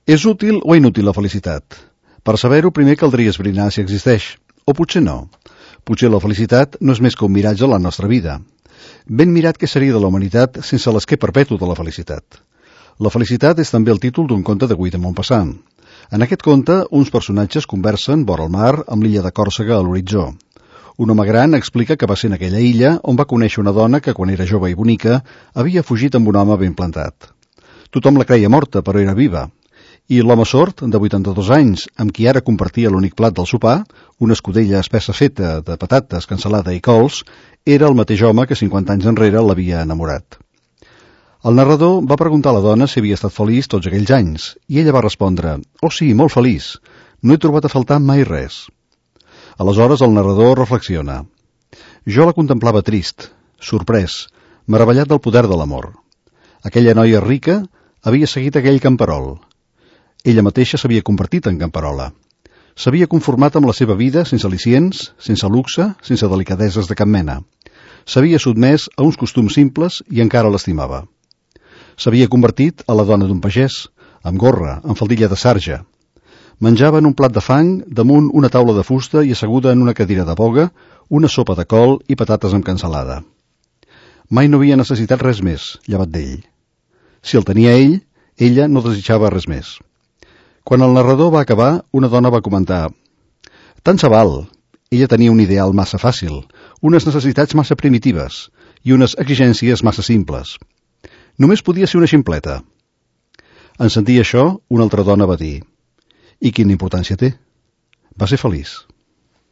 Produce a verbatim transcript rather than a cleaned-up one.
És útil o inútil la felicitat? Per saber-ho, primer caldria esbrinar si existeix. O potser no. Potser la felicitat no és més que un miratge a la nostra vida. Ben mirat què seria de la humanitat sense l'esquer perpetu de la felicitat. La felicitat és també el títol d'un conte de Guy de Maupassant. En aquest conte, uns personatges conversen vora el mar amb l'illa de Còrsega a l'horitzó. Un home gran explica que va ser en aquella illa on va conèixer una dona que, quan era jove i bonica, havia fugit amb un home ben plantat. Tothom la creia morta, però era viva. I l'home sord, de vuitanta-dos anys, amb qui ara compartia l'únic plat del sopar, una escudella espessa feta de patates, cansalada i cols, era el mateix home que cinquanta anys enrere l'havia enamorat. El narrador va preguntar a la dona si havia estat feliç tots aquells anys, i ella va respondre: «Oh sí, molt feliç. No he trobat a faltar mai res». Aleshores el narrador reflexiona. Jo la contemplava trist, sorprès, meravellat del poder de l'amor. Aquella noia rica havia seguit aquell camperol. Ella mateixa s'havia convertit en camperola. S'havia conformat amb la seva vida sense al·licients, sense luxe, sense delicadeses de cap mena. S'havia sotmès a uns costums simples i encara l'estimava. S'havia convertit a la dona d'un pagès, amb gorra, amb faldilla de sarja. Menjava en un plat de fang, damunt una taula de fusta i asseguda en una cadira de boga, una sopa de col i patates amb cansalada. Mai no havia necessitat res més, llevat d'ell. Si el tenia ell, ella no desitjava res més. Quan el narrador va acabar, una dona va comentar: «Tant se val. Ella tenia un ideal massa fàcil, unes necessitats massa primitives i unes exigències massa simples. Només podia ser una ximpleta». En sentir això, una altra dona va dir: «I quina importància té? Va ser feliç».